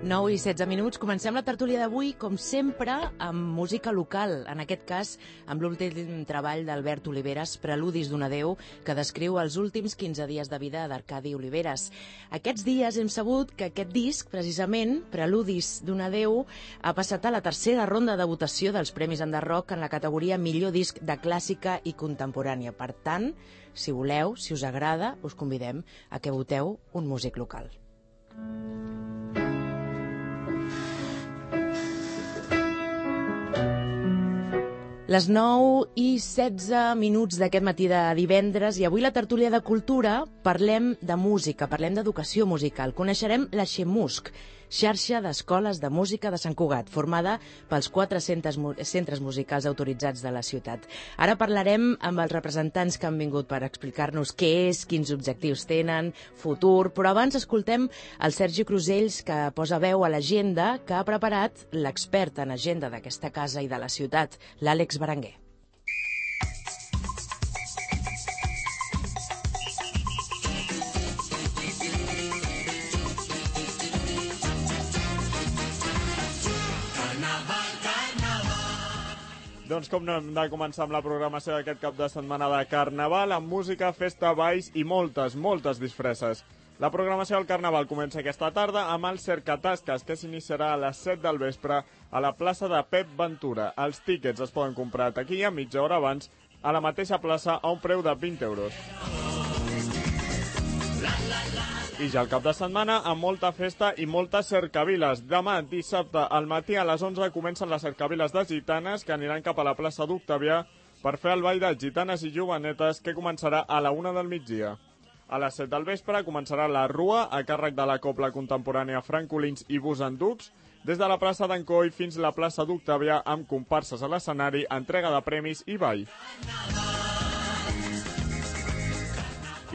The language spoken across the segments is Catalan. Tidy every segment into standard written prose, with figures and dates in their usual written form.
9 i 16 minuts. Comencem la tertúlia d'avui, com sempre, amb música local. En aquest cas, amb l'últim treball d'Albert Oliveres, Preludis d'un adeu, que descriu els últims 15 dies de vida d'Arcadi Oliveres. Aquests dies hem sabut que aquest disc, precisament, Preludis d'un adeu, ha passat a la tercera ronda de votació dels Premis Enderrock en la categoria Millor disc de clàssica i contemporània. Per tant, si voleu, si us agrada, us convidem a que voteu un músic local. Les 9 i 16 minuts d'aquest matí de divendres i avui la tertúlia de cultura parlem de música, parlem d'educació musical. Coneixerem la Xemusc, xarxa d'escoles de música de Sant Cugat, formada pels 4 centres musicals autoritzats de la ciutat. Ara parlarem amb els representants que han vingut per explicar-nos què és, quins objectius tenen, futur, però abans escoltem el Sergi Crusells, que posa veu a l'agenda que ha preparat l'expert en agenda d'aquesta casa i de la ciutat, l'Àlex Berenguer. Doncs com no hem de començar amb la programació d'aquest cap de setmana de Carnaval, amb música, festa, balls i moltes disfresses. La programació del Carnaval comença aquesta tarda amb el Cercatasques, que s'iniciarà a les 7 del vespre a la plaça de Pep Ventura. Els tíquets es poden comprar a taquilla mitja hora abans a la mateixa plaça a un preu de 20 euros. I ja el cap de setmana amb molta festa i moltes cercaviles. Demà, dissabte, al matí a les 11 comencen les cercaviles de gitanes que aniran cap a la plaça d'Octavià per fer el ball de gitanes i jovenetes que començarà a la 1 del migdia. A les 7 del vespre començarà la rua a càrrec de la cobla contemporània Francolins i Busanducs des de la plaça d'Encoi fins a la plaça d'Octavià amb comparses a l'escenari, entrega de premis i ball.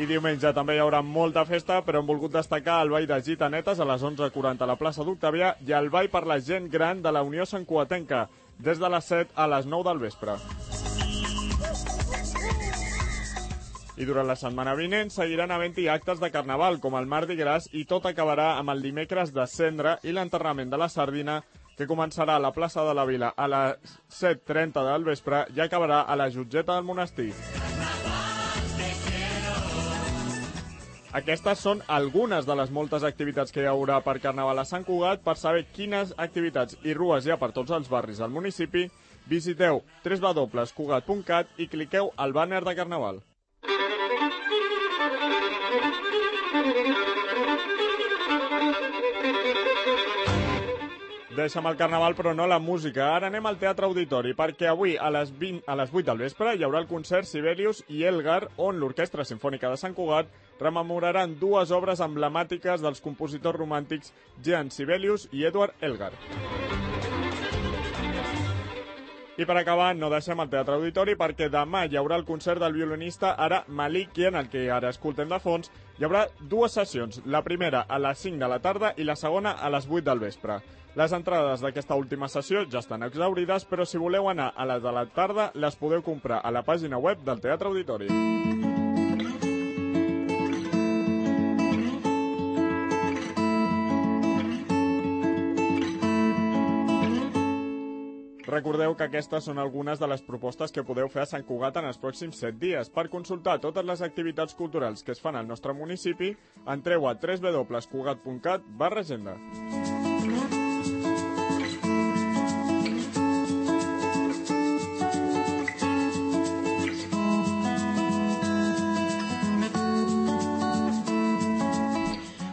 I diumenge també hi haurà molta festa, però hem volgut destacar el ball de gitanetes a les 11:40 a la plaça d'Octavià i el ball per la gent gran de la Unió Santcugatenca, des de les 7 a les 9 del vespre. I durant la setmana vinent seguiran havent-hi actes de Carnaval, com el Mardi Gras, i tot acabarà amb el dimecres de Cendra i l'enterrament de la sardina, que començarà a la plaça de la Vila a les 7:30 del vespre i acabarà a la Jutgeta del Monestir. Aquestes són algunes de les moltes activitats que hi haurà per Carnaval a Sant Cugat. Per saber quines activitats i rues hi ha per tots els barris del municipi, visiteu www.cugat.cat i cliqueu al bàner de Carnaval. Deixa'm el Carnaval, però no la música. Ara anem al Teatre Auditori, perquè avui a les 8 del vespre hi haurà el concert Sibelius i Elgar, on l'Orquestra Simfònica de Sant Cugat rememoraran dues obres emblemàtiques dels compositors romàntics Jean Sibelius i Edward Elgar. I per acabar, no deixem el Teatre Auditori perquè demà hi haurà el concert del violinista Ara Malikian, el que ara escoltem de fons. Hi haurà dues sessions, la primera a les 5 de la tarda i la segona a les 8 del vespre. Les entrades d'aquesta última sessió ja estan exhaurides, però si voleu anar a les de la tarda, les podeu comprar a la pàgina web del Teatre Auditori. Recordeu que aquestes són algunes de les propostes que podeu fer a Sant Cugat en els pròxims 7 dies. Per consultar totes les activitats culturals que es fan al nostre municipi, entreu a www.cugat.cat/agenda.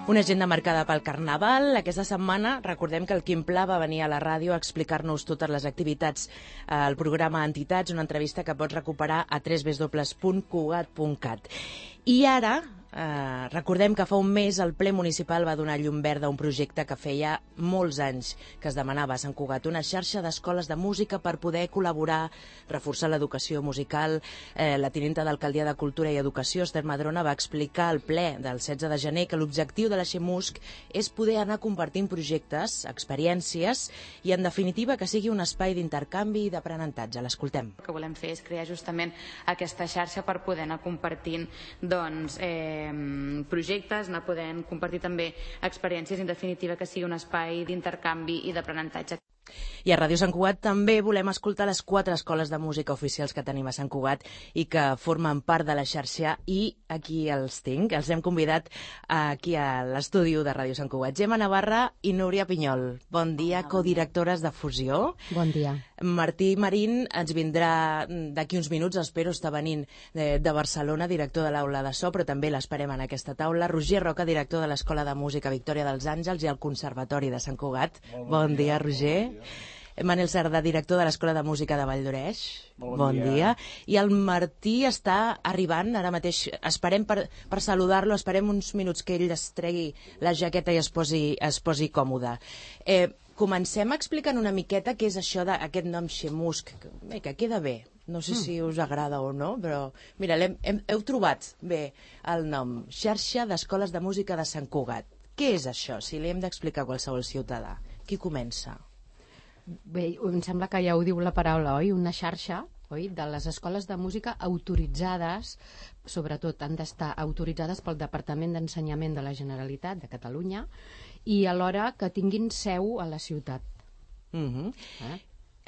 Una agenda marcada pel Carnaval. Aquesta setmana recordem que el Quim Pla va venir a la ràdio a explicar-nos totes les activitats al programa Entitats, una entrevista que pots recuperar a www.cugat.cat. I ara recordem que fa un mes el ple municipal va donar llum verda a un projecte que feia molts anys que es demanava a Sant Cugat, una xarxa d'escoles de música per poder col·laborar, reforçar l'educació musical. La tinenta d'Alcaldia de Cultura i Educació, Esther Madrona, va explicar al ple del 16 de gener que l'objectiu de la Xemusc és poder anar compartint projectes, experiències i, en definitiva, que sigui un espai d'intercanvi i d'aprenentatge. L'escoltem. El que volem fer és crear justament aquesta xarxa per poder anar compartint projectes, anar podent compartir també experiències, en definitiva que sigui un espai d'intercanvi i d'aprenentatge. I a Ràdio Sant Cugat també volem escoltar les 4 escoles de música oficials que tenim a Sant Cugat i que formen part de la xarxa, i aquí els tinc. Els hem convidat aquí a l'estudi de Ràdio Sant Cugat. Gemma Navarra i Núria Pinyol. Bon dia, codirectores de Fusió. Bon dia. Martí Marín ens vindrà d'aquí uns minuts, espero, està venint de Barcelona, director de l'Aula de So, però també l'esperem en aquesta taula. Roger Roca, director de l'Escola de Música Victòria dels Àngels i el Conservatori de Sant Cugat. Bon dia, Roger. Manel Cerdà, director de l'Escola de Música de Valldoreix. Bon dia. I el Martí està arribant ara mateix. Esperem per saludar-lo, esperem uns minuts que ell es tregui la jaqueta i es posi còmode. Comencem explicant una miqueta què és això d'aquest nom Xemusc, que queda bé. No sé si us agrada o no, però mira, heu trobat bé el nom. Xarxa d'Escoles de Música de Sant Cugat. Què és això, si li hem d'explicar a qualsevol ciutadà? Qui comença? Bé, em sembla que ja ho diu la paraula, oi? Una xarxa, oi? De les escoles de música autoritzades, sobretot han d'estar autoritzades pel Departament d'Ensenyament de la Generalitat de Catalunya, i alhora que tinguin seu a la ciutat.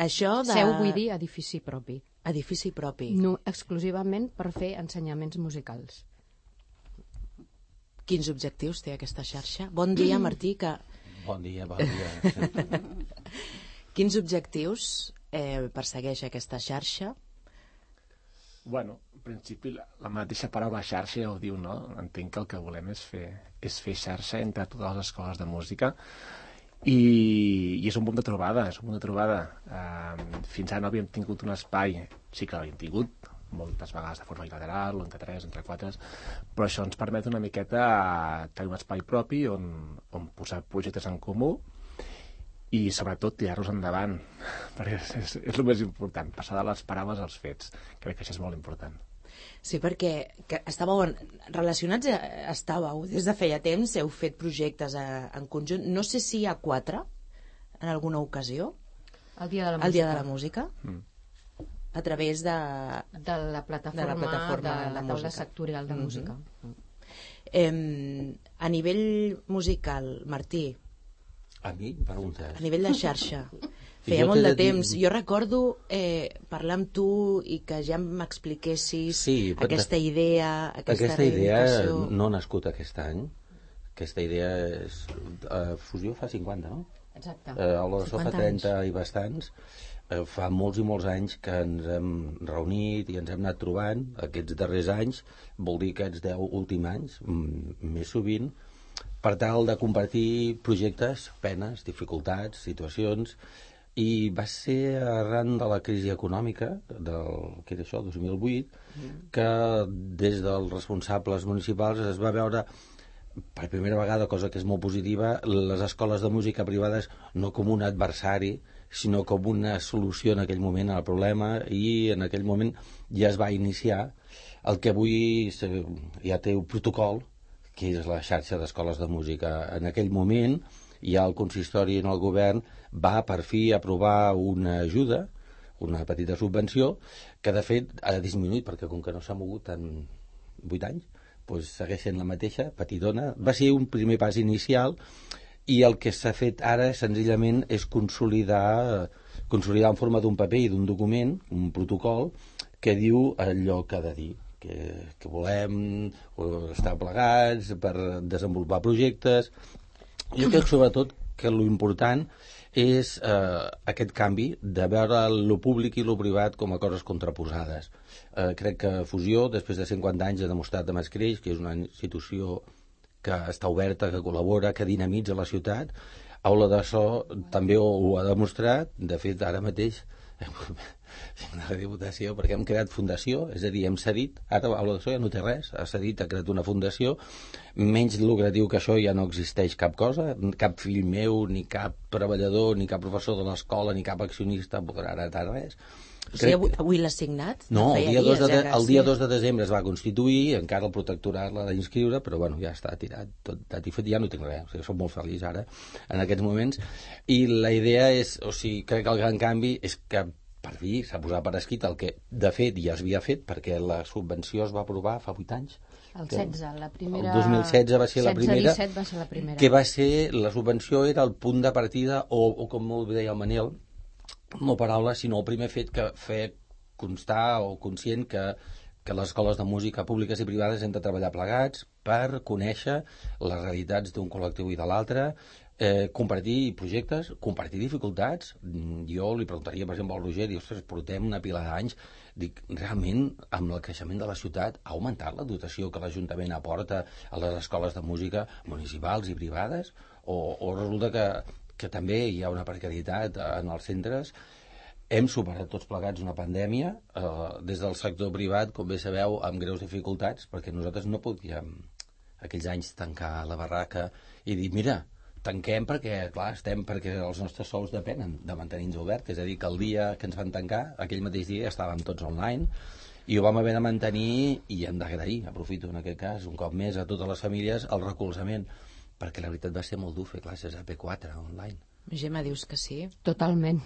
Això de... Seu vull dir edifici propi. Edifici propi. No, exclusivament per fer ensenyaments musicals. Quins objectius té aquesta xarxa? Bon dia, Martí. Bon dia, bon dia. Quins objectius persegueix aquesta xarxa? Bueno, en principi la mateixa paraula xarxa ja ho diu, no? Entenc que el que volem és fer xarxa entre totes les escoles de música i és un punt de trobada, fins ara no havíem tingut un espai, sí que l'havíem tingut, moltes vegades de forma bilateral, entre 3, entre 4, però això ens permet una miqueta tenir un espai propi on posar projectes en comú i sobretot tirar-los endavant, perquè és el més important, passar de les paraules als fets. Crec que això és molt important. Sí, perquè estàveu relacionats, des de feia temps, heu fet projectes en conjunt, no sé si hi ha 4 en alguna ocasió, El Dia de la Música. El Dia de la Música, a través de la plataforma de la taula sectorial de música. A nivell musical, Martí, A mi, preguntes. a nivell de xarxa, feia molt de temps. Jo recordo parlar amb tu i que ja m'expliquessis aquesta idea, Aquesta idea no ha nascut aquest any. Aquesta idea és... Fusió fa 50, no? Exacte. Aula de So fa 30 i bastants. Fa molts i molts anys que ens hem reunit i ens hem anat trobant. Aquests darrers anys, vol dir aquests 10 últims anys, més sovint, per tal de compartir projectes, penes, dificultats, situacions, i va ser arran de la crisi econòmica que era això, 2008, que des dels responsables municipals es va veure per primera vegada, cosa que és molt positiva, les escoles de música privades no com un adversari, sinó com una solució en aquell moment al problema, i en aquell moment ja es va iniciar el que avui ja té un protocol, que és la xarxa d'escoles de música. En aquell moment ja el consistori en el govern va per fi aprovar una ajuda, una petita subvenció, que de fet ha disminuït, perquè com que no s'ha mogut en 8 anys, doncs segueix sent la mateixa, petitona. Va ser un primer pas inicial, i el que s'ha fet ara senzillament és consolidar en forma d'un paper i d'un document, un protocol, que diu allò que ha de dir, que volem estar plegats per desenvolupar projectes. Jo crec sobretot que l'important és aquest canvi de veure lo públic i lo privat com a coses contraposades. Crec que Fusió, després de 50 anys, ha demostrat amb Escreix que és una institució que està oberta, que col·labora, que dinamitza la ciutat. Aula de So també ho ha demostrat. De fet, ara mateix una rediputació, perquè hem creat fundació, és a dir, hem cedit, ara Aula de So ja no té res, ha cedit, ha creat una fundació, menys lucratiu que això ja no existeix cap cosa, cap fill meu, ni cap treballador, ni cap professor de l'escola, ni cap accionista podrà heretar res. O sigui, avui l'ha signat? No, el dia 2 de desembre es va constituir, encara el protectorat l'ha d'inscriure, però bueno, ja està tirat, tot dat i fet, ja no tinc res, o sigui, soc molt feliç ara, en aquests moments, i la idea és, o sigui, crec que el gran canvi és que per fi s'ha posat per escrit el que de fet ja s'havia fet, perquè la subvenció es va aprovar fa 8 anys, El 16, la primera... El 2016 va ser la primera. 16-17 va ser la primera. Que va ser, la subvenció era el punt de partida, o com molt bé deia el Manel, no paraula, sinó el primer fet que feia constar o conscient que les escoles de música públiques i privades hem de treballar plegats per conèixer les realitats d'un col·lectiu i de l'altre, compartir projectes, compartir dificultats. Jo li preguntaria, per exemple, al Roger, ostres, portem una pila d'anys, dic, realment, amb el creixement de la ciutat, ha augmentat la dotació que l'Ajuntament aporta a les escoles de música municipals i privades? O resulta que també hi ha una precarietat en els centres? Hem superat tots plegats una pandèmia, des del sector privat, com bé sabeu, amb greus dificultats, perquè nosaltres no podíem aquells anys tancar la barraca i dir, mira, tanquem perquè, clar, perquè els nostres sous depenen de mantenir-nos oberts, és a dir, que el dia que ens van tancar, aquell mateix dia estàvem tots online, i ho vam haver de mantenir, i hem d'agrair, aprofito en aquest cas, un cop més a totes les famílies, el recolzament, perquè la veritat va ser molt dur fer classes a P4 online. Gemma, dius que sí? Totalment.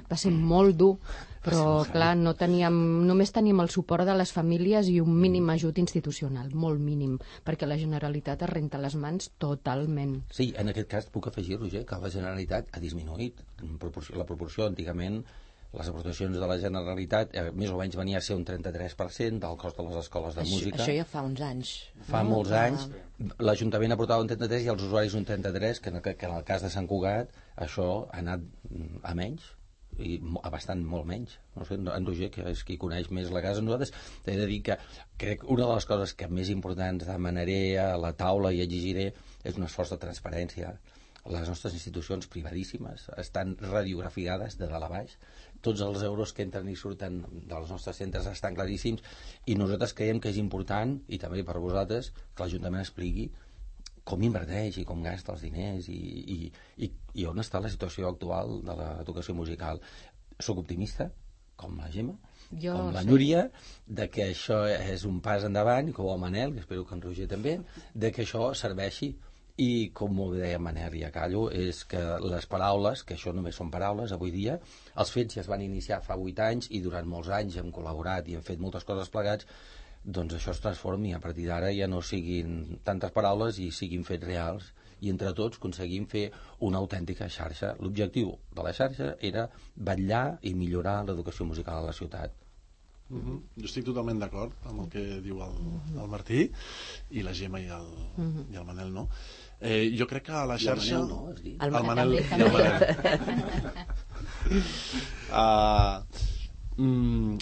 Va ser molt dur, però clar, només teníem el suport de les famílies i un mínim ajut institucional, molt mínim, perquè la Generalitat es renta les mans totalment. Sí, en aquest cas puc afegir, Roger, que la Generalitat ha disminuït la proporció. Antigament les aportacions de la Generalitat més o menys venia a ser un 33% del cost de les escoles de música. Això ja fa uns anys. Fa molts anys. L'Ajuntament aportava un 33 i els usuaris un 33, que en el cas de Sant Cugat això ha anat a menys, i a bastant molt menys. No sé, en Roger, que és qui coneix més la casa, nosaltres he de dir que crec que una de les coses que més importants demanaré a la taula i exigiré és un esforç de transparència. Les nostres institucions privadíssimes estan radiografiades de dalt a baix. Tots els euros que entren i surten dels nostres centres estan claríssims, i nosaltres creiem que és important, i també per vosaltres, que l'Ajuntament expliqui com inverteix i com gasta els diners i on està la situació actual de l'educació musical. Soc optimista, com la Gemma, com la Núria, de que això és un pas endavant, com el Manel, que espero que en Roger també, de que això serveixi. I, com ho deia Manel, i acallo, és que les paraules, que això només són paraules avui dia, els fets ja es van iniciar fa 8 anys i durant molts anys hem col·laborat i hem fet moltes coses plegats, doncs això es transformi, a partir d'ara ja no siguin tantes paraules i siguin fets reals, i entre tots aconseguim fer una autèntica xarxa. L'objectiu de la xarxa era vetllar i millorar l'educació musical a la ciutat. Jo estic totalment d'acord amb el que diu el Martí i la Gemma i el Manel, no? Jo crec que a la xarxa... El Manel no, has dit. El Manel i el Manel.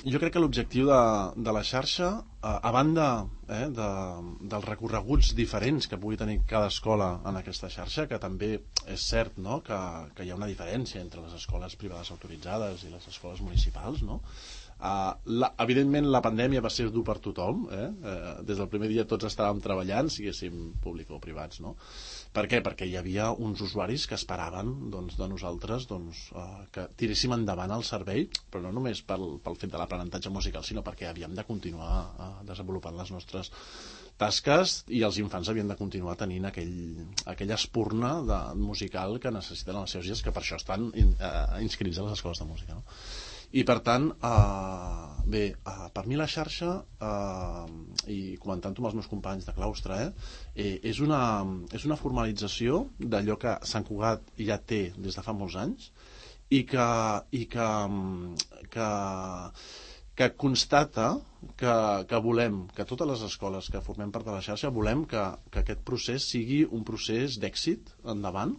Jo crec que l'objectiu de la xarxa, a banda dels recorreguts diferents que pugui tenir cada escola en aquesta xarxa, que també és cert, no?, que hi ha una diferència entre les escoles privades autoritzades i les escoles municipals, no? Evidentment la pandèmia va ser dur per tothom, des del primer dia tots estàvem treballant, siguéssim públics o privats, no? Per què? Perquè hi havia uns usuaris que esperaven de nosaltres que tiréssim endavant el servei, però no només pel fet de l'aprenentatge musical, sinó perquè havíem de continuar desenvolupant les nostres tasques i els infants havien de continuar tenint aquella espurna musical que necessiten els seus dies, que per això estan inscrits a les escoles de música, no? I per tant, per mi la xarxa, i comentant-ho amb els meus companys de claustre, és una formalització d'allò que Sant Cugat ja té des de fa molts anys i que constata que volem, que totes les escoles que formem part de la xarxa volem que aquest procés sigui un procés d'èxit endavant,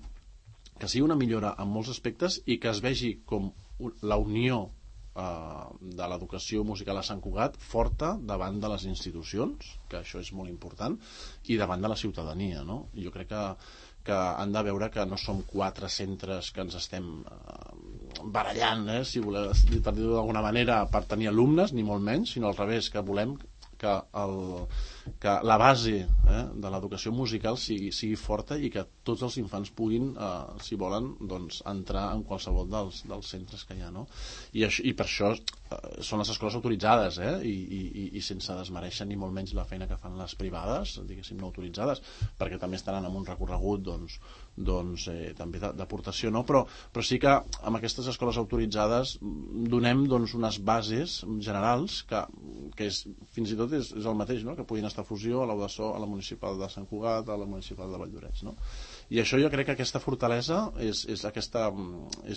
que sigui una millora en molts aspectes i que es vegi com la unió de l'educació musical a Sant Cugat forta davant de les institucions, que això és molt important, i davant de la ciutadania, no? Jo crec que han de veure que no som 4 centres que ens estem barallant, si voleu, per dir-ho d'alguna manera, per tenir alumnes, ni molt menys, sinó al revés, que volem que la base de l'educació musical sigui forta i que tots els infants puguin, si volen, doncs, entrar en qualsevol dels centres que hi ha, no? I per això són les escoles autoritzades, i sense desmereixer ni molt menys la feina que fan les privades, diguéssim, no autoritzades, perquè també estaran en un recorregut també d'aportació, no? Però sí que amb aquestes escoles autoritzades donem unes bases generals que és, fins i tot és el mateix, no?, que puguin estar aquesta fusió, a l'Audaçó, a la municipal de Sant Cugat, a la municipal de Valldoreix, no? I això jo crec que aquesta fortalesa és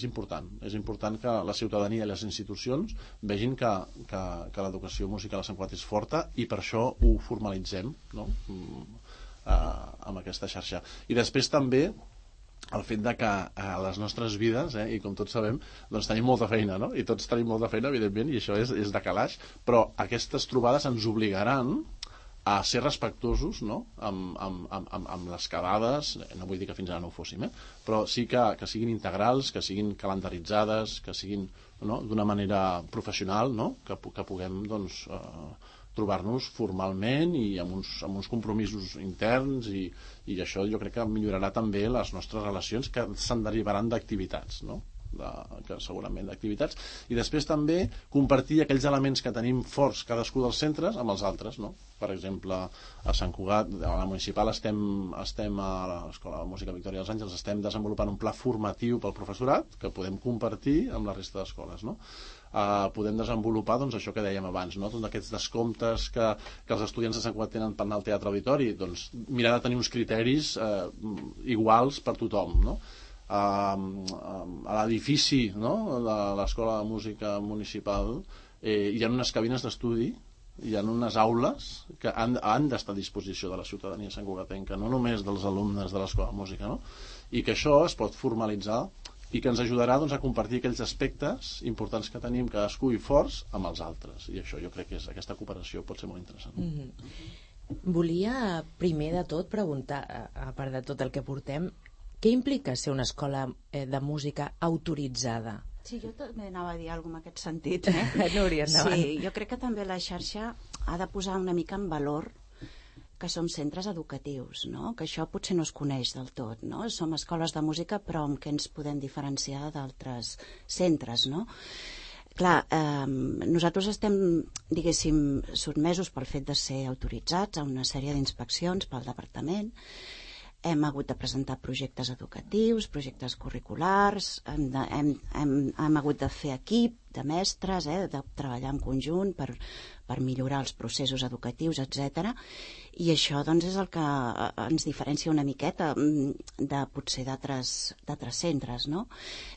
important. És important que la ciutadania i les institucions vegin que l'educació musical a Sant Cugat és forta i per això ho formalitzem, no? Amb aquesta xarxa. I després també el fet de que a les nostres vides, i com tots sabem, doncs tenim molta feina, no? I tots tenim molta feina, evidentment, i això és de calaix, però aquestes trobades ens obligaran a ser respectuosos, no? amb les quedades, no vull dir que fins ara no ho fóssim, però sí que siguin integrals, que siguin calendaritzades, que siguin, no? D'una manera professional, no? Que puguem doncs, trobar-nos formalment i amb uns compromisos interns i això jo crec que millorarà també les nostres relacions que se'n derivaran d'activitats, no? Segurament d'activitats, i després també compartir aquells elements que tenim forts cadascú dels centres amb els altres, no? Per exemple, a Sant Cugat, a la municipal estem a l'Escola de Música Victòria dels Àngels, estem desenvolupant un pla formatiu pel professorat que podem compartir amb la resta d'escoles, no? Podem desenvolupar doncs, això que dèiem abans, no? Tots aquests descomptes que els estudiants de Sant Cugat tenen per anar al teatre auditori, doncs mirar de tenir uns criteris iguals per tothom, no? A l'edifici, no? De l'Escola de Música Municipal hi ha unes cabines d'estudi, hi ha unes aules que han d'estar a disposició de la ciutadania santcugatenca, no només dels alumnes de l'Escola de Música, no? I que això es pot formalitzar i que ens ajudarà doncs, a compartir aquells aspectes importants que tenim cadascú i forts amb els altres, i això jo crec que aquesta cooperació pot ser molt interessant. Volia primer de tot preguntar, a part de tot el que portem, què implica ser una escola de música autoritzada? Sí, jo també anava a dir alguna cosa en aquest sentit. Núria, endavant. Sí, jo crec que també la xarxa ha de posar una mica en valor que som centres educatius, no? Que això potser no es coneix del tot, no? Som escoles de música, però amb què ens podem diferenciar d'altres centres, no? Clar, nosaltres estem, diguéssim, sotmesos pel fet de ser autoritzats a una sèrie d'inspeccions pel departament. Hem hagut de presentar projectes educatius, projectes curriculars, hem hagut de fer equip de mestres, de treballar en conjunt per millorar els processos educatius, etc. I això doncs, és el que ens diferencia una miqueta de potser d'altres centres, no?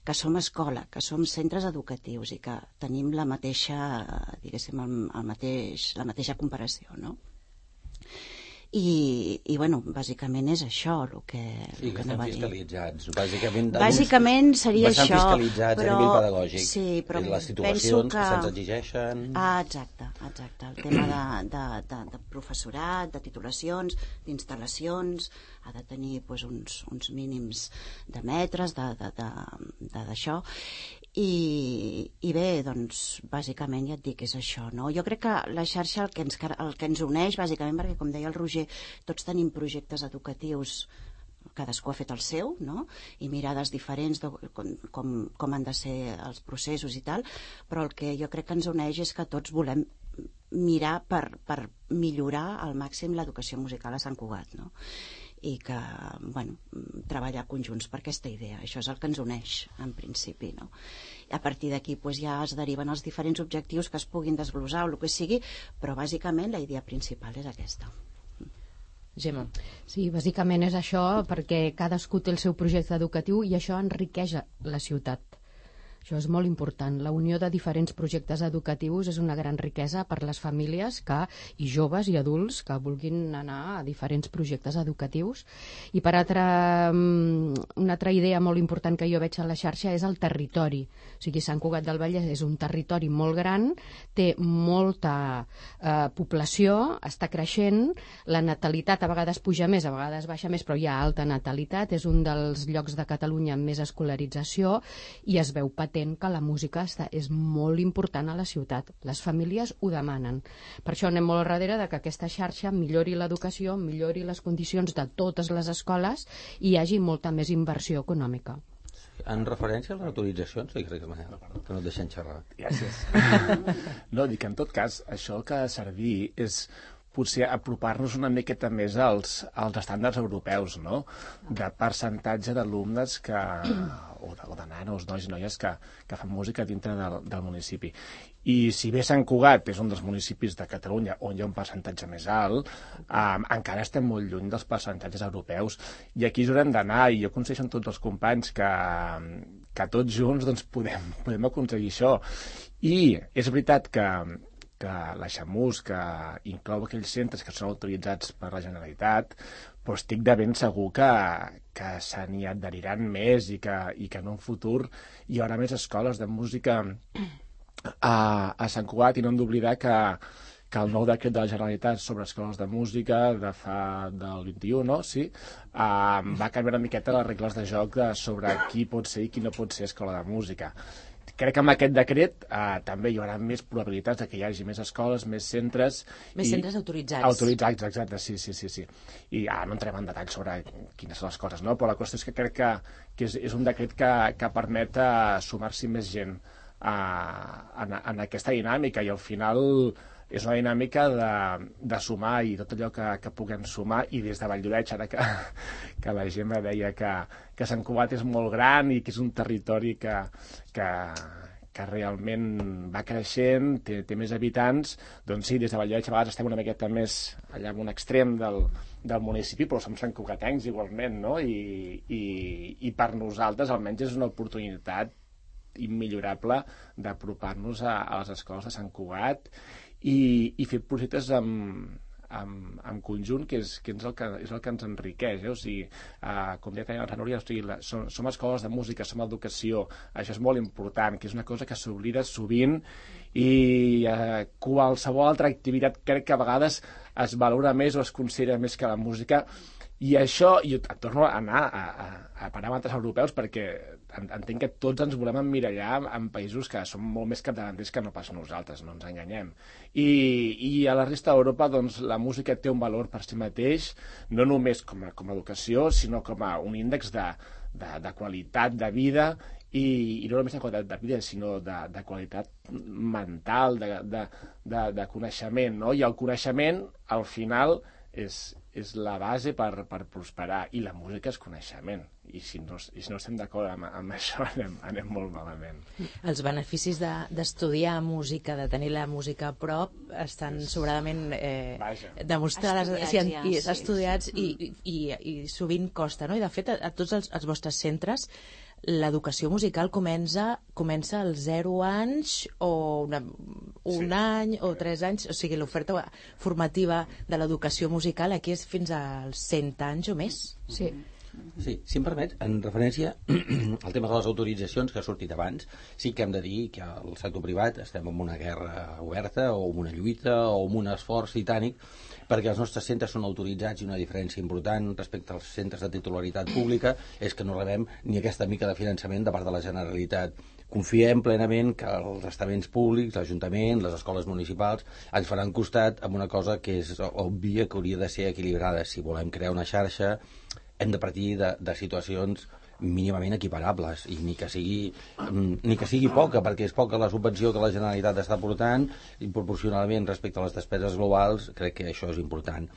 Que som escola, que som centres educatius i que tenim la mateixa, diguéssim, la mateixa comparació, no? I bueno, bàsicament és això el que estan fiscalitzats. Bàsicament seria això. Bastant fiscalitzats a nivell pedagògic. Sí, però les titulacions que se'ns exigeixen. Exacte. El tema de professorat, de titulacions, d'instal·lacions, ha de tenir uns mínims de metres, d'això. I bé, doncs, bàsicament ja et dic, és això, no? Jo crec que la xarxa el que ens uneix, bàsicament, perquè, com deia el Roger, tots tenim projectes educatius, cadascú ha fet el seu, no? I mirades diferents de com han de ser els processos i tal, però el que jo crec que ens uneix és que tots volem mirar per millorar al màxim l'educació musical a Sant Cugat, no? I que, bueno, treballar conjunts per aquesta idea. Això és el que ens uneix, en principi, no? A partir d'aquí ja es deriven els diferents objectius que es puguin desglossar o el que sigui, però bàsicament la idea principal és aquesta. Gemma. Sí, bàsicament és això, perquè cadascú té el seu projecte educatiu i això enriqueix la ciutat. Això és molt important. La unió de diferents projectes educatius és una gran riquesa per les famílies i joves i adults que vulguin anar a diferents projectes educatius. I per una altra idea molt important que jo veig a la xarxa és el territori. O sigui, Sant Cugat del Vallès és un territori molt gran, té molta població, està creixent, la natalitat a vegades puja més, a vegades baixa més, però hi ha alta natalitat, és un dels llocs de Catalunya amb més escolarització i es veu patent que la música és molt important a la ciutat. Les famílies ho demanen. Per això anem molt darrere de que aquesta xarxa millori l'educació, millori les condicions de totes les escoles i hi hagi molta més inversió econòmica. En referència a les autoritzacions, crec que no et deixen xerrar. Gràcies. No, dic que en tot cas, això que ha de servir és potser apropar-nos una miqueta més als estàndards europeus, no? De percentatge d'alumnes de nanos, nois i noies que fan música dintre del municipi. I si bé Sant Cugat és un dels municipis de Catalunya on hi ha un percentatge més alt, encara estem molt lluny dels percentatges europeus, i aquí ens haurem d'anar, i jo aconsegueixo amb tots els companys que tots junts doncs, podem aconseguir això. I és veritat que la Xamús, que inclou aquells centres que són autoritzats per la Generalitat, però estic de ben segur que se n'hi adheriran més i que en un futur hi haurà més escoles de música a Sant Cugat, i no hem d'oblidar que el nou decret de la Generalitat sobre escoles de música del 21, no? Sí, va canviar una miqueta les regles de joc sobre qui pot ser i qui no pot ser escola de música. Crec que amb aquest decret també hi haurà més probabilitats que hi hagi més escoles, més centres... Més centres autoritzats. Autoritzats, exacte, sí. I no entrem en detall sobre quines són les coses, no? Però la qüestió és que crec que és un decret que permet sumar-s'hi més gent en aquesta dinàmica, i al final és una dinàmica de sumar, i tot allò que puguem sumar. I des de Valldoreix, ara que la Gemma deia que Sant Cugat és molt gran i que és un territori que realment va creixent, té més habitants, doncs sí, des de Valldoreix a vegades estem una miqueta més allà en un extrem del municipi, però som Sant Cugatencs igualment, no? I per nosaltres almenys és una oportunitat immillorable d'apropar-nos a les escoles de Sant Cugat i fer projectes en conjunt, que és el que ens enriqueix, O sigui, com deia també la Núria, som escoles de música, som educació, això és molt important, que és una cosa que s'oblida sovint, i qualsevol altra activitat crec que a vegades es valora més o es considera més que la música. I això, jo torno a anar a paràmetres europeus, perquè entenc que tots ens volem emmirallar en països que són molt més capdavanters que no pas nosaltres, no ens enganyem. I a la resta d'Europa doncs, la música té un valor per si mateix, no només com a educació, sinó com a un índex de qualitat de vida, i no només de qualitat de vida, sinó de qualitat mental, de coneixement, no? I el coneixement, al final, és la base per prosperar, i la música és coneixement, i si no estem d'acord amb això anem molt malament. Els beneficis d'estudiar música, de tenir la música a prop, estan sobradament demostrades, estudiats, i sovint costa, no? I de fet a tots els vostres centres l'educació musical comença als 0 anys o un any o 3 anys, o sigui, l'oferta formativa de l'educació musical aquí és fins als 100 anys o més. Sí. Sí, si em permets, en referència al tema de les autoritzacions que ha sortit abans, sí que hem de dir que al sector privat estem en una guerra oberta o en una lluita o en un esforç titànic perquè els nostres centres són autoritzats, i una diferència important respecte als centres de titularitat pública és que no rebem ni aquesta mica de finançament de part de la Generalitat. Confiem plenament que els estaments públics, l'Ajuntament, les escoles municipals ens faran costat amb una cosa que és òbvia, que hauria de ser equilibrada. Si volem crear una xarxa hem de partir de situacions mínimament equiparables, i ni que sigui poca, perquè és poca la subvenció que la Generalitat està aportant, i proporcionalment respecte a les despeses globals crec que això és important.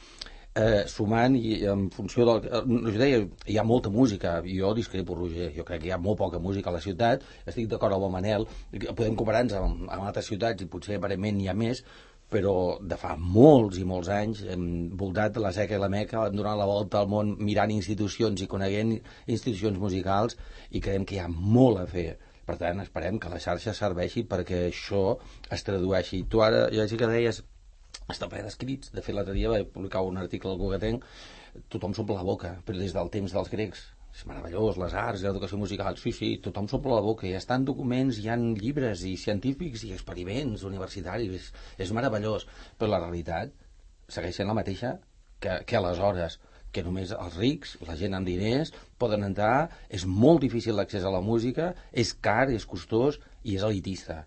Sumant, i en funció del... Jo deia, hi ha molta música, jo discrepo, Roger, jo crec que hi ha molt poca música a la ciutat, estic d'acord amb el Manel, podem comparar-nos amb altres ciutats i potser aparentment n'hi ha més, però de fa molts i molts anys hem voltat la seca i la meca donant la volta al món, mirant institucions i coneguent institucions musicals, i creiem que hi ha molt a fer. Per tant, esperem que la xarxa serveixi perquè això es tradueixi. Tu ara, ja sí que deies, està ple d'escrits. De fet, l'altre dia vaig publicar un article al Cugatenc, tothom s'omple la boca, però des del temps dels grecs. És meravellós, les arts, l'educació musical, sí, tothom s'omple la boca, hi ha documents, hi ha llibres i científics i experiments universitaris, és meravellós, però la realitat segueix sent la mateixa que aleshores, que només els rics, la gent amb diners, poden entrar, és molt difícil l'accés a la música, és car, és costós i és elitista.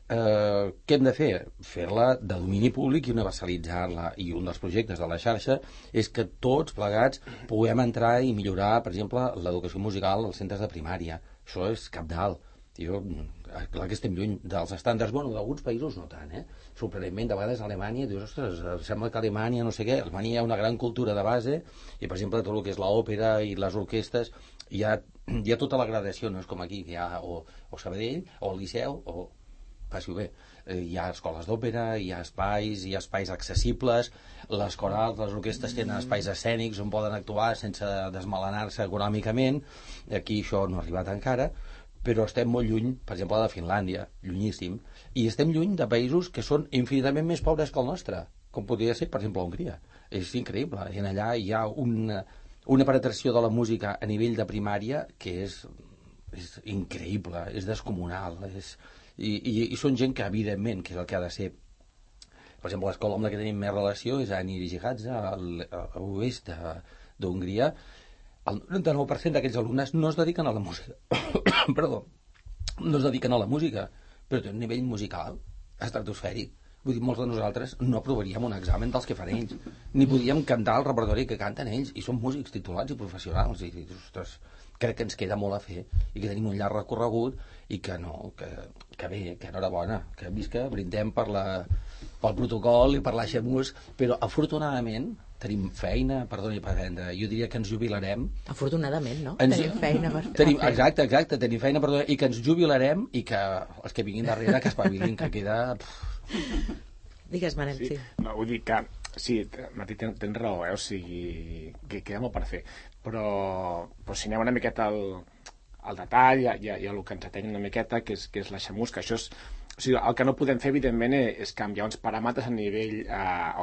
Què hem de fer? Fer-la de domini públic i universalitzar-la, i un dels projectes de la xarxa és que tots plegats puguem entrar i millorar, per exemple, l'educació musical als centres de primària. Això és cabdal. Clar que estem lluny dels estàndards, bueno, d'alguns països no tant, sorprenentment, de vegades a Alemanya dius, ostres, sembla que a Alemanya no sé què, a Alemanya hi ha una gran cultura de base, i per exemple tot el que és l'òpera i les orquestes hi ha tota la gradació, no és com aquí, que hi ha o Sabadell, o el Liceu, o passi-ho bé. Hi ha escoles d'òpera, hi ha espais accessibles, les corals, les orquestres tenen espais escènics on poden actuar sense desmelenar-se econòmicament. Aquí això no ha arribat encara, però estem molt lluny, per exemple, de Finlàndia, llunyíssim, i estem lluny de països que són infinitament més pobres que el nostre, com podria ser, per exemple, Hongria. És increïble, i allà hi ha una penetració de la música a nivell de primària que és increïble, és descomunal, i són gent que, evidentment, que és el que ha de ser. Per exemple, l'escola amb la que tenim més relació és a Nyíregyháza, a l'oest d'Hongria. El 99% d'aquells alumnes no es dediquen a la música. Perdó. No es dediquen a la música, però té un nivell musical estratosfèric. Vull dir, molts de nosaltres no aprovaríem un examen dels que fan ells, ni podíem cantar el repertori que canten ells, i són músics titulats i professionals, i ostres, crec que ens queda molt a fer, i que tenim un llarg recorregut, i que bé, que enhorabona, que visca, brindem pel protocol i per l'Aixemús, però afortunadament tenim feina, perdoni per vendre, jo diria que ens jubilarem. Afortunadament, no? Tenim feina per fer. Exacte, tenim feina, perdoni, i que ens jubilarem, i que els que vinguin darrere que espavilin, que queda... Digues, Manel, sí. No, vull dir que, sí, Martí, tens raó, o sigui, que queda molt per fer, però si anem una miqueta al detall i el que ens ateny una miqueta, que és l'Aixemús, que això és... O sigui, el que no podem fer, evidentment, és canviar uns paràmetres a nivell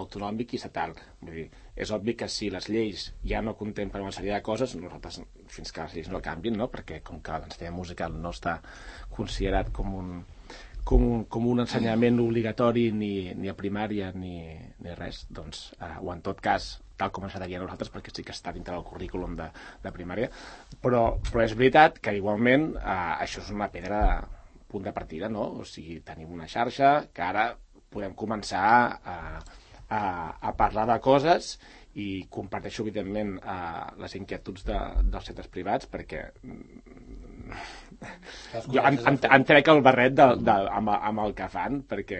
autonòmic i estatal. Vull dir, és obvi que si les lleis ja no contemplen una sèrie de coses, nosaltres, fins que les lleis no canvien, no? Perquè com que l'ensenyament musical no està considerat com un ensenyament obligatori ni a primària ni res, doncs, o en tot cas, tal com ens agradaria a nosaltres, perquè sí que està dintre del currículum de primària, però és veritat que igualment això és una pedra punt de partida, no? O sigui, tenim una xarxa que ara podem començar a parlar de coses, i comparteixo, evidentment, les inquietuds dels centres privats, perquè jo em trec el barret amb el que fan, perquè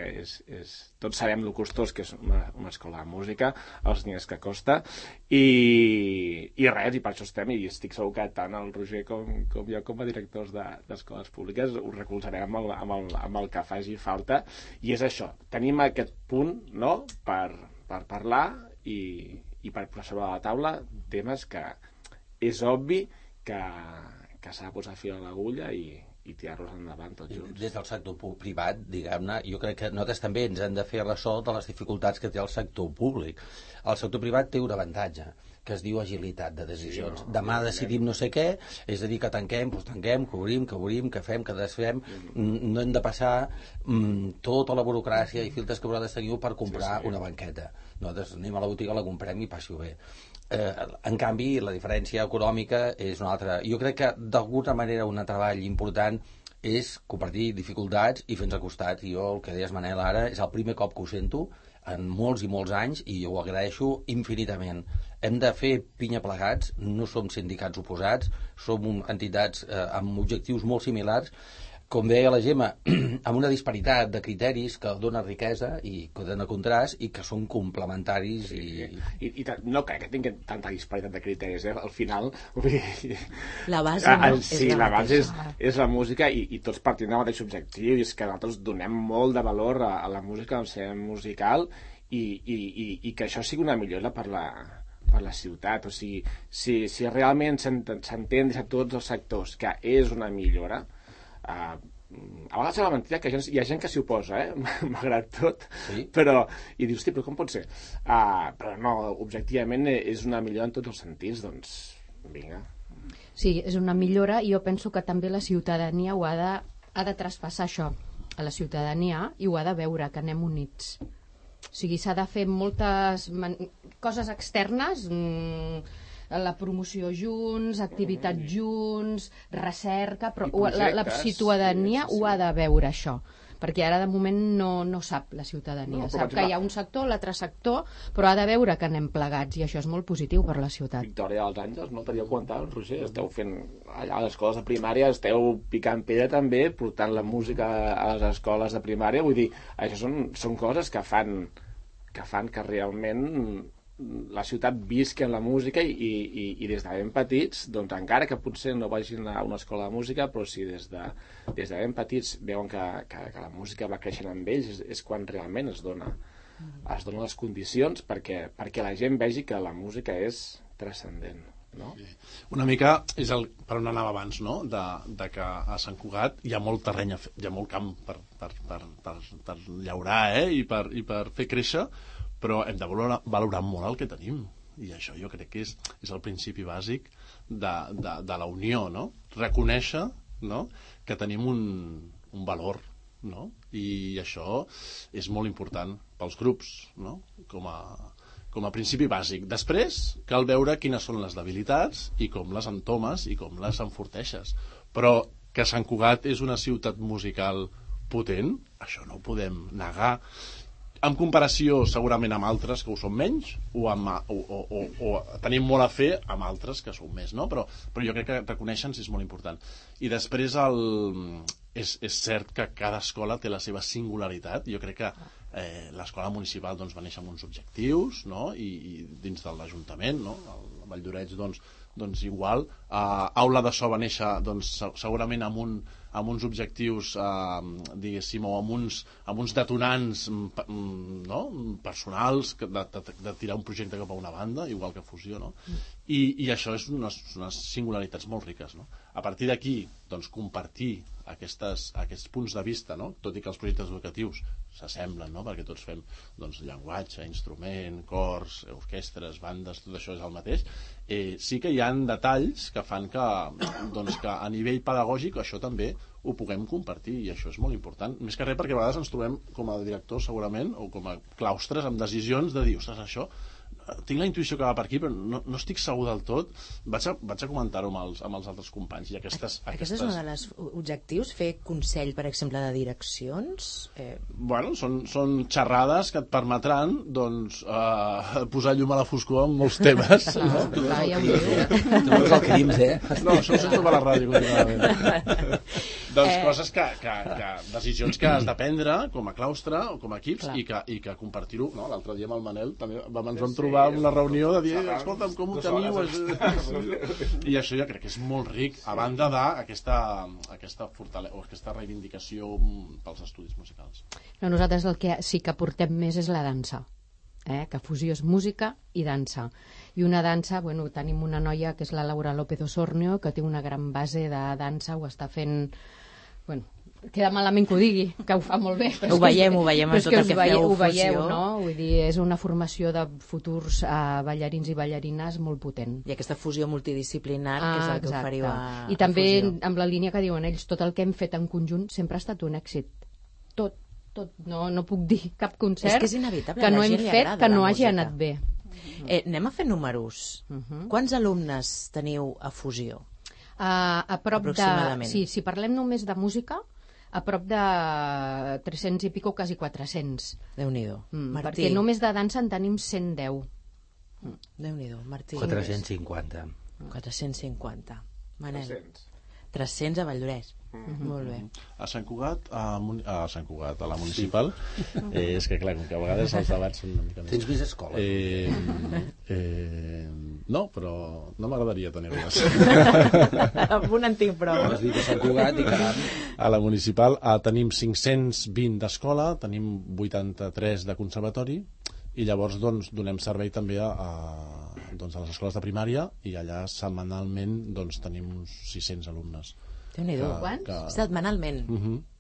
tots sabem el costós que és una escola de música, els diners que costa, i res, i per això estem, i estic segur que tant el Roger com jo, com a directors d'escoles públiques, us recolzarem amb el que faci falta, i és això, tenim aquest punt, no?, per parlar i per posar sobre la taula temes que és obvi que s'ha de posar fil a l'agulla i tirar-los endavant tots junts. Des del sector privat, diguem-ne, jo crec que nosaltres també ens hem de fer ressò de les dificultats que té el sector públic. El sector privat té un avantatge, que es diu agilitat de decisions. Sí, no? Demà decidim no sé què, és a dir, que tanquem, doncs tanquem, que obrim, que fem, que desfem. No hem de passar tota la burocràcia i filtres que vosaltres teniu per comprar una banqueta. Nosaltres anem a la botiga, la comprem i passi-ho bé. En canvi, la diferència econòmica és una altra. Jo crec que, d'alguna manera, un treball important és compartir dificultats i fer-nos costat. Jo, el que deies, Manel, ara, és el primer cop que ho sento en molts i molts anys, i ho agraeixo infinitament. Hem de fer pinya plegats, no som sindicats oposats, som entitats amb objectius molt similars, com deia la Gemma, amb una disparitat de criteris que dona riquesa i que dona contrast i que són complementaris. I no crec que tinguin tanta disparitat de criteris, Al final... La base, no? Sí, la base és la música, i tots partint del mateix objectiu, i és que nosaltres donem molt de valor a la música, al cinema musical, i que això sigui una millora per la ciutat. O sigui, si realment s'entén des de tots els sectors que és una millora, a vegades és la mentida que hi ha gent que s'hi oposa, malgrat tot, sí. I dius, però com pot ser? Però no, objectivament és una millora en tots els sentits, doncs vinga. Sí, és una millora, i jo penso que també la ciutadania ha de traspassar això a la ciutadania, i ho ha de veure, que anem units. O sigui, s'ha de fer moltes coses externes, la promoció junts, activitats junts, recerca, però la ciutadania ho ha de veure, això, perquè ara de moment no sap la ciutadania, sap que hi ha un sector, l'altre sector, però ha de veure que anem plegats, i això és molt positiu per la ciutat. Victòria dels Àngels, no t'havíeu comentat, Roger, esteu fent allà a les escoles de primària, esteu picant pedra també, portant la música a les escoles de primària, vull dir, això són coses que fan que realment la ciutat visqui en la música i des de ben petits, doncs encara que potser no vagin a una escola de música, però si des de ben petits veuen que la música va creixent amb ells, és quan realment es donen les condicions perquè la gent vegi que la música és transcendent. No? Una mica és per on anava abans, no? De que a Sant Cugat hi ha molt terreny, hi ha molt camp per llaurar i per fer créixer, però hem de valorar molt el que tenim, i això jo crec que és el principi bàsic de la unió, no? Reconèixer, no? Que tenim un valor, no? I això és molt important pels grups, no? Com a principi bàsic. Després cal veure quines són les debilitats i com les entomes i com les enforteixes, però que Sant Cugat és una ciutat musical potent, això no ho podem negar, en comparació segurament amb altres que ho són menys o tenim molt a fer amb altres que són més, no? Però jo crec que reconèixer-nos és molt important. I després és cert que cada escola té la seva singularitat. Jo crec que l'escola municipal va néixer amb uns objectius, no? I dins de l'Ajuntament, no? El Vall d'Oreig doncs igual. Aula de So va néixer segurament amb uns objectius diguéssim, o amb uns detonants personals de tirar un projecte cap a una banda, igual que Fusió, no? I això és unes singularitats molt riques, no? A partir d'aquí, doncs, compartir aquests punts de vista, no? Tot i que els projectes educatius s'assemblen, no? Perquè tots fem llenguatge, instrument, cors, orquestres, bandes, tot això és el mateix. Sí que hi ha detalls que fan que a nivell pedagògic això també ho puguem compartir, i això és molt important. Més que res perquè a vegades ens trobem com a directors segurament, o com a claustres amb decisions de dir, ostres, això tinc la intuïció que va per aquí, però no estic segur del tot. Vaig a comentar-ho amb els altres companys. I Aquest és un dels objectius, fer consell, per exemple, de direccions? Bueno, són xerrades que et permetran posar llum a la foscor en molts temes. Clar, ja ho diu. No és el crims, No, això ho sento per la ràdio continuament. Doncs coses decisions que has de prendre com a claustre o com a equips i que compartir-ho. L'altre dia amb el Manel també ens vam trobar en una reunió de dir, escolta'm, com ho teniu? I això jo crec que és molt ric, a banda d'aquesta fortalesa o aquesta reivindicació pels estudis musicals. Nosaltres el que sí que portem més és la dansa, que Fusió és música i dansa. I una dansa, tenim una noia que és la Laura López Osornio, que té una gran base de dansa, ho està fent... queda malament que ho digui, que ho fa molt bé. Ho veiem en tot el que feu Fusió. Ho veieu, no? Vull dir, és una formació de futurs ballarins i ballarines molt potent. I aquesta fusió multidisciplinar, que és el que oferiu a Fusió. I també, amb la línia que diuen ells, tot el que hem fet en conjunt sempre ha estat un èxit. Tot. No puc dir cap concert que és inevitable, que no hem fet que no hagi anat bé. Anem a fer números. Quants alumnes teniu a Fusió? A prop aproximadament. Si parlem només de música, a prop de 300 i pico, quasi 400. Déu-n'hi-do. Perquè només de dansa en tenim 110. Déu-n'hi-do, Martí. 450. 450. Manel. 300 a Valldoreix. Molt bé. A Sant Cugat, a la municipal, és que clar, com que a vegades els debats són una mica més... Tens més escoles? No, però no m'agradaria tenir-les. Amb un en tinc prou. Has dit a Sant Cugat i caram. A la municipal tenim 520 d'escola, tenim 83 de conservatori, i llavors donem servei també a les escoles de primària, i allà setmanalment tenim uns 600 alumnes. Déu-n'hi-do. Quants? Setmanalment.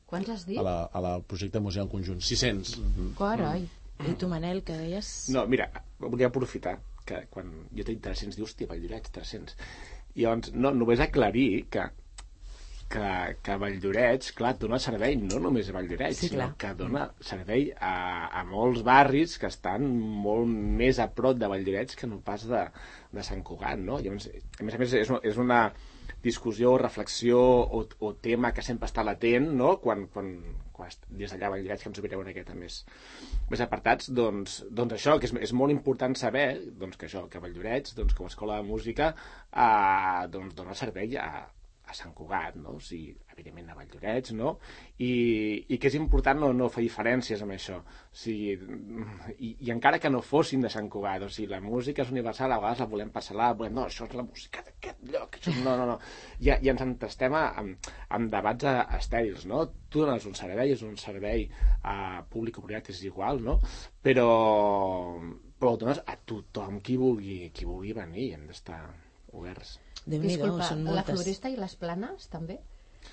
Quants has dit? A la projecte Museu en Conjunt. 600. Carai. I tu, Manel, que deies... No, mira, volia aprofitar que quan jo tinc 300, dius, hòstia, Valldoreix, 300. I llavors, només aclarir que Valldoreix, clar, dona servei no només a Valldoreix, sinó que dona servei a molts barris que estan molt més a prop de Valldoreix que no pas de Sant Cugat, no? Llavors, a més, és una discussió, reflexió o tema que sempre està latent, no? Quan des d'allà a Valldoreix que ens obrireu una miqueta més apartats, doncs això, que és molt important saber que Valldoreix, com a escola de música, dona servei a a Sant Cugat, no? O sigui, evidentment a Valldoreix, no? I que és important no fer diferències amb això. O sigui, i encara que no fossin de Sant Cugat, o sigui, la música és universal, a vegades la volem parcel·lar, no, això és la música d'aquest lloc, això... no. Ja ens entestem amb debats estèrils, no? Tu dones un servei, és un servei públic o privat, és igual, no? Però ho dones a tothom qui vulgui venir, hem d'estar oberts. Disculpa, la Floresta i les Planes també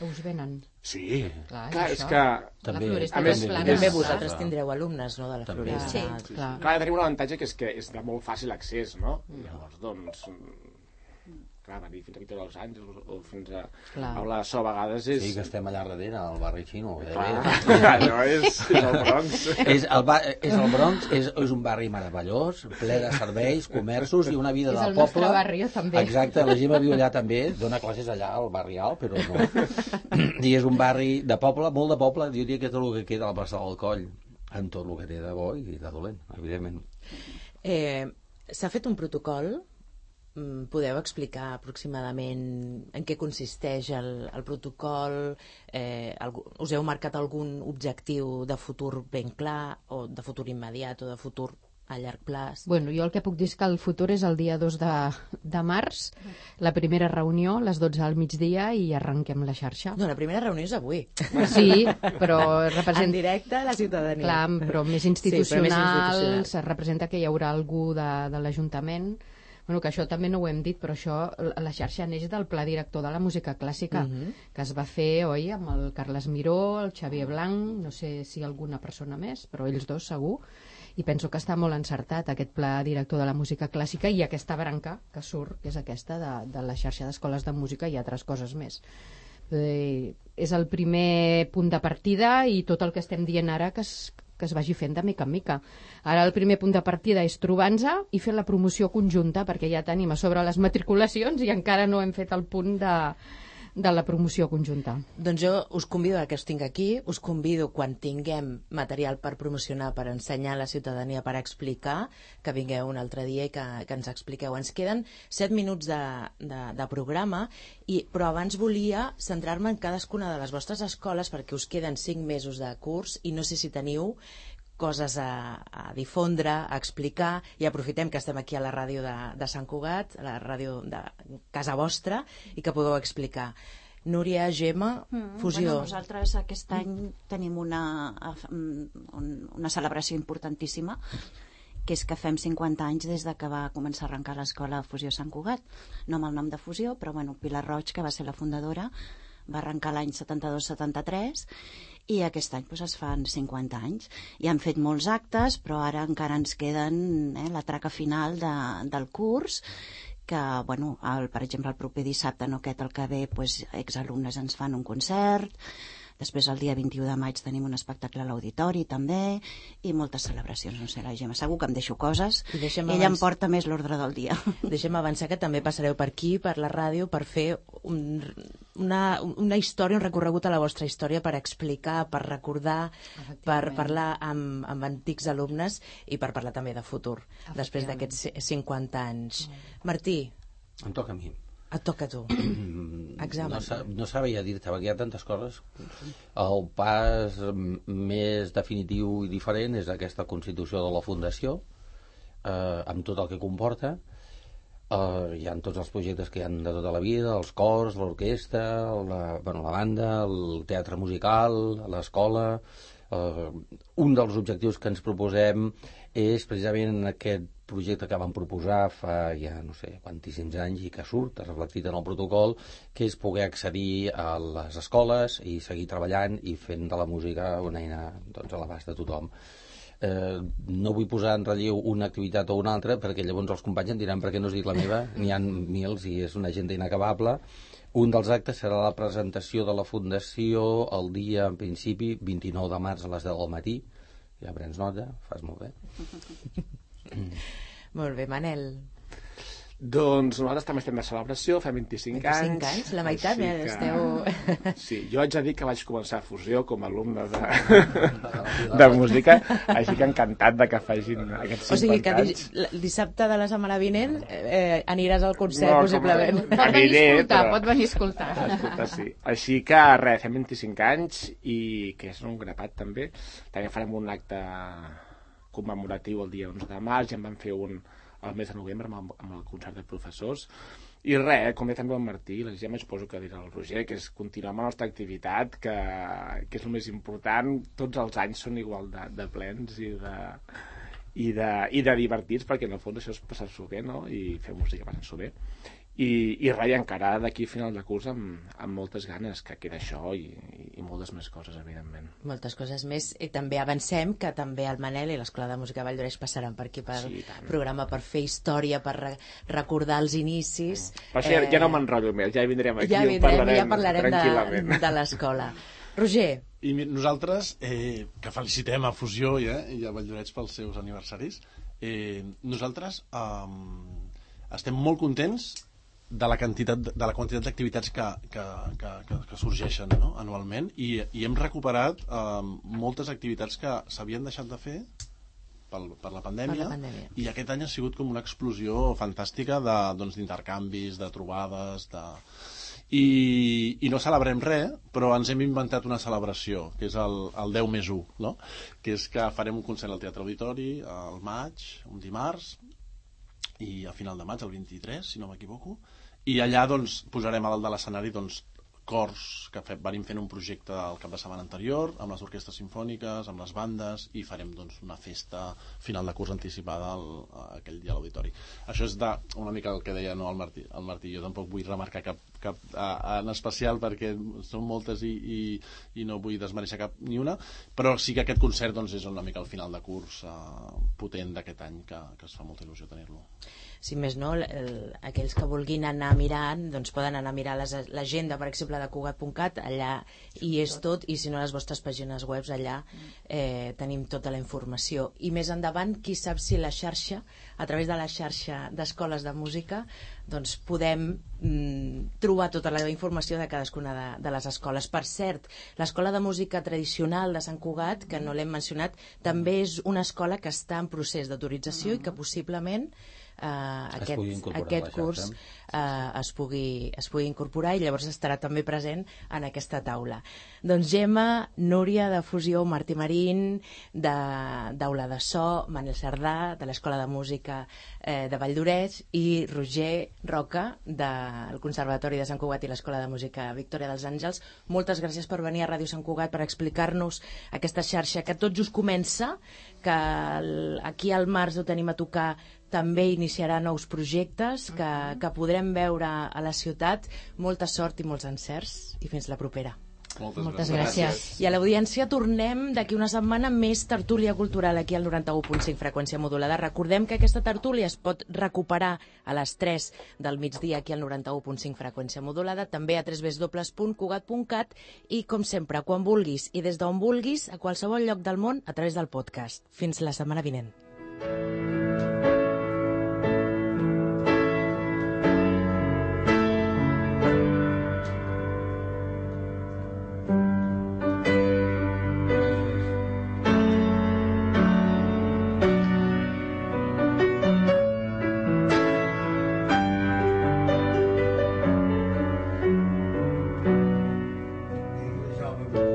us venen? Sí, clar, és que... També, a més, també vosaltres tindreu alumnes, no?, de la Floresta. Sí, clar. Tenim un avantatge que és de molt fàcil accés, no? Llavors, doncs... Clar, venir fins aquí tots els anys o fins a Aula de So a vegades és... Sí, que estem allà darrere, al barri xino. Allò és el Bronx. És el Bronx, és un barri meravellós, ple de serveis, comerços i una vida del poble. És el nostre barri, també. Exacte, la Gemma viu allà també, dona classes allà al barri alt, però no. I és un barri de poble, molt de poble, diria que tot el que queda a la plaça del Coll, amb tot el que té de bo i de dolent, evidentment. S'ha fet un protocol. Podeu explicar aproximadament en què consisteix el protocol? Us heu marcat algun objectiu de futur ben clar, o de futur immediat, o de futur a llarg plaç? Bueno, jo el que puc dir és que el futur és el dia 2 de març, la primera reunió, a les 12 al migdia, i arrenquem la xarxa. No, la primera reunió és avui. Sí, però representa... En directe a la ciutadania. Clar, però més institucional, sí, però més institucional. Representa que hi haurà algú de l'Ajuntament. Bueno, que això també no ho hem dit, però això, la xarxa neix del Pla Director de la Música Clàssica, que es va fer, oi, amb el Carles Miró, el Xavier Blanc, no sé si alguna persona més, però ells dos segur, i penso que està molt encertat aquest Pla Director de la Música Clàssica i aquesta branca que surt, que és aquesta de la xarxa d'escoles de música i altres coses més. És el primer punt de partida i tot el que estem dient ara que es vagi fent de mica en mica. Ara el primer punt de partida és trobar-nos i fer la promoció conjunta, perquè ja tenim a sobre les matriculacions i encara no hem fet el punt de la promoció conjunta. Doncs jo us convido que us tinc aquí, us convido quan tinguem material per promocionar, per ensenyar a la ciutadania, per explicar, que vingueu un altre dia i que ens expliqueu. Ens queden 7 minuts de programa, però abans volia centrar-me en cadascuna de les vostres escoles perquè us queden 5 mesos de curs i no sé si teniu coses a difondre, a explicar, i aprofitem que estem aquí a la ràdio de Sant Cugat, a la ràdio de casa vostra, i que podeu explicar. Núria, Gemma, Fusió. Bueno, nosaltres aquest any tenim una celebració importantíssima, que és que fem 50 anys des de que va començar a arrencar l'escola Fusió Sant Cugat, no amb el nom de Fusió, però bueno, Pilar Roig, que va ser la fundadora, va arrencar l'any 72-73 i aquest any doncs, es fan 50 anys. I han fet molts actes, però ara encara ens queden la traca final del curs, que, bueno, per exemple, el proper dissabte, no aquest, el que ve, doncs, exalumnes ens fan un concert. Després, el dia 21 de maig, tenim un espectacle a l'auditori, també, i moltes celebracions. No sé, la Gemma, segur que em deixo coses. Ella em porta més l'ordre del dia. Deixem avançar que també passareu per aquí, per la ràdio, per fer una història, un recorregut a la vostra història, per explicar, per recordar, per parlar amb antics alumnes i per parlar també de futur, després d'aquests 50 anys. Martí. Em toca a mi. Et toca a tu. Examen. No sabia dir-te, perquè hi ha tantes coses. El pas més definitiu i diferent és aquesta constitució de la Fundació, amb tot el que comporta. Hi ha tots els projectes que hi ha de tota la vida, els cors, l'orquestra, la banda, el teatre musical, l'escola. Un dels objectius que ens proposem és precisament aquest projecte que vam proposar fa ja no sé quantíssims anys i que surt reflectit en el protocol, que és poder accedir a les escoles i seguir treballant i fent de la música una eina a l'abast de tothom. No vull posar en relleu una activitat o una altra perquè llavors els companys em diran per què no us dic la meva, n'hi ha mils i és una agenda inacabable. Un dels actes serà la presentació de la Fundació el dia, en principi, 29 de març a les 10 del matí. Ja prens nota, fas molt bé. Molt bé, Manel. Doncs nosaltres també estem de celebració, fem 25 anys. 25 anys? La meitat, que... esteu... Sí, jo haig de dir que vaig començar a Fusió com a alumne de música, així que encantat de que facin aquests 50 anys. O sigui que dissabte de la setmana vinent aniràs al concert, possiblement. Pot venir a escoltar. Escolta, sí. Així que res, fem 25 anys i que és un grapat també. També farem un acte commemoratiu el dia 11 de març, ja en vam fer un al mes de novembre amb el concert de professors. I res, com bé també el Martí, ja m'hi suposo que dirà el Roger, que és continuar amb la nostra activitat, que és el més important. Tots els anys són igual de plens i de divertits, perquè en el fons això és passar-s'ho bé, no? I fer música passar-s'ho bé. I res, encara d'aquí a final de curs amb moltes ganes, que queda això i moltes més coses, evidentment. Moltes coses més. I també avancem que també el Manel i l'Escola de Música Vall d'Oreix passaran per aquí pel programa per fer història, per recordar els inicis. Per això ja no m'enrotllo més, ja vindrem aquí i parlarem tranquil·lament de l'escola. Roger. I nosaltres, que felicitem a Fusió i a Vall d'Oreix pels seus aniversaris, nosaltres estem molt contents de la quantitat d'activitats que sorgeixen, no? Anualment, i hem recuperat moltes activitats que s'havien deixat de fer per la pandèmia, i aquest any ha sigut com una explosió fantàstica d'intercanvis, de trobades, i no celebrem res, però ens hem inventat una celebració, que és el 10+1, no? Que és que farem un concert al Teatre Auditori al maig, un dimarts, i a final de maig, el 23, si no m'equivoco, i allà posarem a dalt de l'escenari cors que venim fent un projecte el cap de setmana anterior amb les orquestres simfòniques, amb les bandes, i farem una festa final de curs anticipada aquell dia a l'auditori. Això és una mica el que deia el Martí. Jo tampoc vull remarcar cap en especial perquè són moltes i no vull desmereixer cap ni una, però sí que aquest concert és una mica el final de curs potent d'aquest any, que es fa molta il·lusió tenir-lo. Si més no, aquells que vulguin anar mirant, poden anar a mirar l'agenda, per exemple, de Cugat.cat, allà hi és tot, i si no, les vostres pàgines web, allà tenim tota la informació. I més endavant, qui sap si la xarxa, a través de la xarxa d'escoles de música, podem trobar tota la informació de cadascuna de les escoles. Per cert, l'Escola de Música Tradicional de Sant Cugat, que no l'hem mencionat, també és una escola que està en procés d'autorització i que possiblement aquest curs es pugui incorporar, i llavors estarà també present en aquesta taula. Doncs Gemma, Núria de Fusió, Martí Marín d'Aula de So, Manel Cerdà de l'Escola de Música de Vall d'Oreix, i Roger Roca del Conservatori de Sant Cugat i l'Escola de Música Victòria dels Àngels, moltes gràcies per venir a Ràdio Sant Cugat per explicar-nos aquesta xarxa que tot just comença, que aquí al març ho tenim a tocar, també iniciarà nous projectes que podrem veure a la ciutat. Molta sort i molts encerts, i fins la propera. Moltes gràcies. I a l'audiència tornem d'aquí una setmana més tertúlia cultural aquí al 91.5 freqüència modulada. Recordem que aquesta tertúlia es pot recuperar a les 3 del migdia aquí al 91.5 freqüència modulada, també a www.cugat.cat, i com sempre, quan vulguis i des d'on vulguis, a qualsevol lloc del món, a través del podcast. Fins la setmana vinent. Jovem.